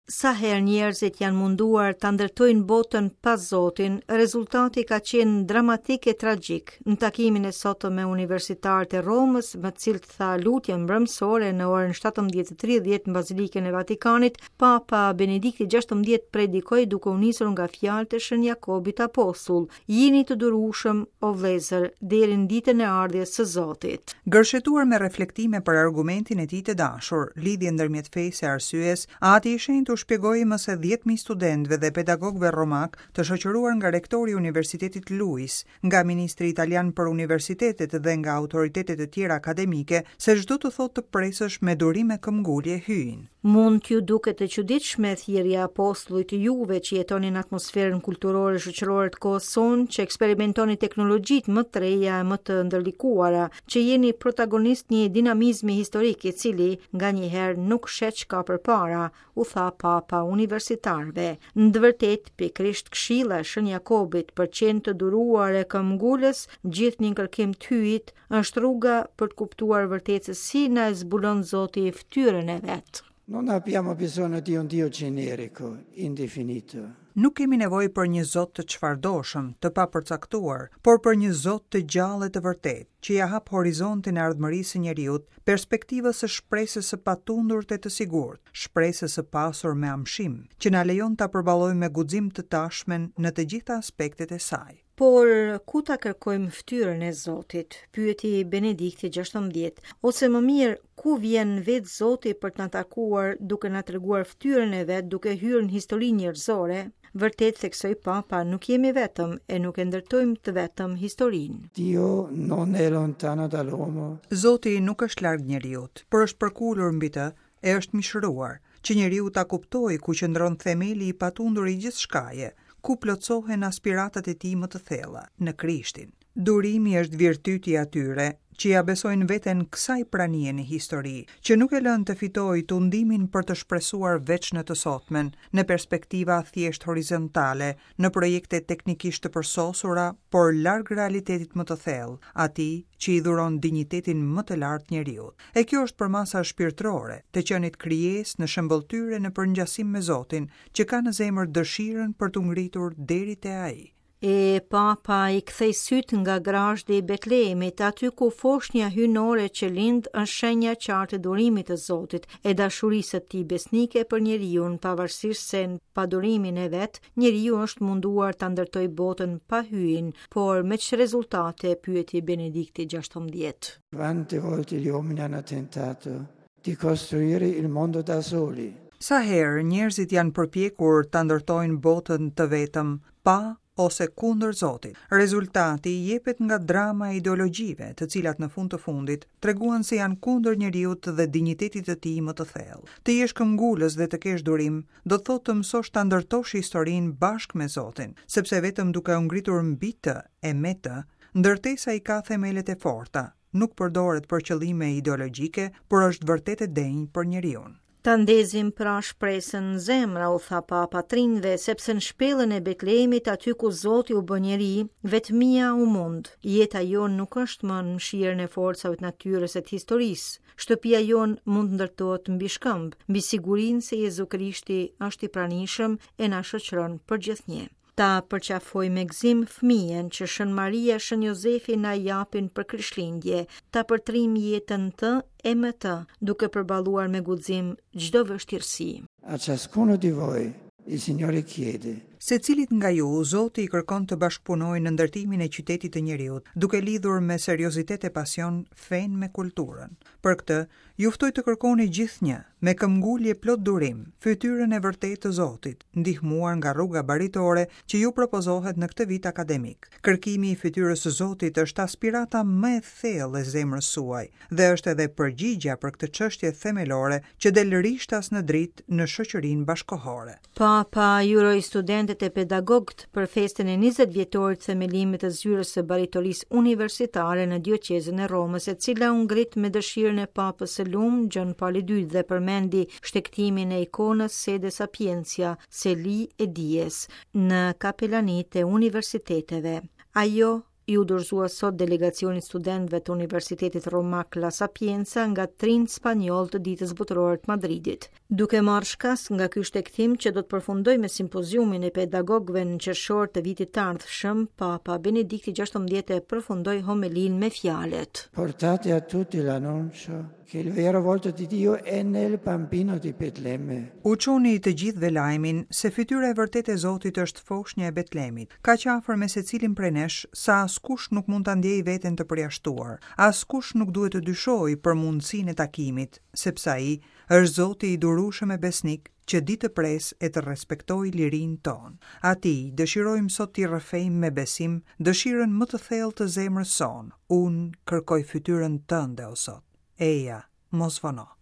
Sa herë njerëzit janë munduar ta ndërtojnë botën pa Zotin, rezultati ka qenë dramatik e tragjik. Në takimin e sotëm me universitarët e Romës, me të cilët tha lutjen mbrëmësore në orën 17:30 në Bazilikën e Vatikanit, Papa Benedikti XVI predikoi duke u nisur nga fjalët e Shën Jakobit Apostull, Jini të durueshëm, o vëllezër, deri në ditën e ardhjes së Zotit. Gërshetuar me reflektime për argumentin e tij të dashur, lidhjen ndërmjet fesë e arsyes, Ati i Shenjtë u shpjegoi më se 10,000 studentëve dhe pedagogëve romakë, të shoqëruar nga rektori i Universitetit Luis, nga ministri italian për universitetet dhe nga autoritete të tjera akademike, se ç'do të thotë të presësh me durim e këmbgulje Hyjin. Mund t'ju duket e çuditshme thirrja e apostullit juve që jetoni në atmosferën kulturore e shoqërore të kohës sonë, që eksperimentoni teknologjitë më të reja e më të ndërlikuara, që jeni protagonist një dinamizmi historik i cili nganjëherë nuk sheh ç'ka përpara, u tha Papa universitarëve. Në të vërtetë, pikërisht këshilla e Shën Jakobit për të qenë të duruar e këmbgulës, gjithnjë në kërkim të Hyjit, është rruga për të kuptuar vërtet se si na e zbulon Zoti fytyrën e vet. Non abbiamo bisogno di un Dio generico, indefinito. Nuk kemi nevojë për një Zot të çfarëdoshëm, të papërcaktuar, por për një Zot të gjallë e të vërtetë, që ia hap horizontin e ardhmërisë së njeriut, perspektivës së shpresës së patundur e të sigurt, shpresës së pasur me amshim, që na lejon ta përballojmë me guxim të tashmen në të gjitha aspektet e saj. Por ku ta kërkojmë fytyrën e Zotit? Pyeti Benedikti XVI, ose më mirë, ku vjen vetë Zoti për të na takuar duke na treguar fytyrën e vet duke hyrë në historinë njerëzore? Vërtet theksoi Papa, nuk jemi vetëm e nuk e ndërtojmë të vetëm historinë. Dio non è lontano dall'uomo. Zoti nuk është larg njeriut, por është përkulur mbi të e është mishëruar, që njeriu ta kuptojë ku qëndron themeli i patundur i gjithçkaje, ku plotësohen aspiratat e tij më të thella, në Krishtin. Durimi është virtyti i atyre, që ia besojnë veten kësaj pranie në histori, që nuk e lënë të fitojë tundimin për të shpresuar veç në të sotmen, në perspektiva thjesht horizontale, në projekte teknikisht të përsosura, por larg realitetit më të thellë, atij që i dhuron dinjitetin më të lartë njeriut. E kjo është përmasa shpirtërore, të qenit krijesë në shëmbëlltyrë e në përngjasim me Zotin, që ka në zemër dëshirën për t'u ngritur deri te Ai. E Papa i ktheu sytë nga grazhdi i Betlehemit, aty ku foshnja hyjnore që lind është shenja e qartë e durimit të Zotit, e dashurisë së tij besnike për njeriun, pavarësisht se në padurimin e vet, njeriu është munduar ta ndërtojë botën pa Hyjin, por me ç'rezultate, pyeti Benedikti XVI. Quante volte gli uomini hanno tentato di costruire il mondo da soli. Sa herë njerëzit janë përpjekur ta ndërtojnë botën të vetëm, pa ose kundër Zotit. Rezultati jepet nga drama e ideologjive, të cilat në fund të fundit treguan se janë kundër njeriut dhe dinjitetit të tij më të thellë. Të jesh këmbgulës dhe të kesh durim, do të thotë të mësosh ta ndërtosh historinë bashkë me Zotin, sepse vetëm duke u ngritur mbi të e me të, ndërtesa i ka themelet e forta, nuk përdoret për qëllime ideologjike, por është vërtet e denjë për njeriun. Ta ndezim pra shpresën në zemra, u tha Papa të rinjve, sepse në shpellën e Betlehemit, aty ku Zoti u bë njeri, vetmia u mund. Jeta jonë nuk është më në mëshirën e forcave të natyrës e të historisë. Shtëpia jonë mund të ndërtohet mbi shkëmb, mbi sigurinë se Jezu Krishti është i pranishëm e na shoqëron përgjithnjë. Ta përqafojmë me gëzim fëmijën që Shën Maria e Shën Jozefi na japin për Krishtlindje, ta përtrijmë jetën në të e me të, duke përballuar me guxim çdo vështirësi. A ciascuno di voi il Signore chiede. Secilit nga ju, Zoti i kërkon të bashkëpunojë në ndërtimin e qytetit të njeriut, duke lidhur me seriozitet e pasion fenë me kulturën. Për këtë, ju ftoj të kërkoni gjithnjë, me këmbgulje plot durim, fytyrën e vërtetë të Zotit, ndihmuar nga rruga baritore që ju propozohet në këtë vit akademik. Kërkimi i fytyrës së Zotit është aspirata më e thellë e zemrës suaj dhe është edhe përgjigja për këtë çështje themelore që del rishtas në dritë në shoqërinë bashkëkohore. Papa i uroi studentët e pedagogët për festën e 20 vjetorit të themelimit të zyrës së baritorisë universitare në dioqezën e Romës, e cila u ngrit me dëshirën e Papës së Lum, Gjon Pali II dhe përmendi shtegtimin e ikonës Sede Sapientia, seli e dijes, në kapelanitë e universiteteve. Ajo iu dorëzua sot delegacionit të studentëve të Universitetit Romak La Sapienza nga të rinjtë spanjollë të Ditës Botërore të Madridit. Duke marrë shkas nga ky shtegtim që do të përfundojë me simpoziumin e pedagogëve në qershor të vitit të ardhshëm, Papa Benedikti XVI e përfundoi homelinë me fjalët. Portate a tutti l'annuncio che il vero volto di Dio è nel bambino di Betlemme. U çoni të gjithëve lajmin se fytyra e vërtetë e Zotit është foshnja e Betlemit, kaq afër me secilin prej nesh sa askush nuk mund ta ndjejë veten të përjashtuar, askush nuk duhet të dyshojë për mundësinë e takimit, sepse ai është Zoti i durueshëm e besnik që di të presë e të respektojë lirinë tonë. Atij dëshirojmë sot t'i rrëfejmë me besim dëshirën më të thellë të zemrës sonë, Unë kërkoj fytyrën tënde, o Zot. Eja, mos vono.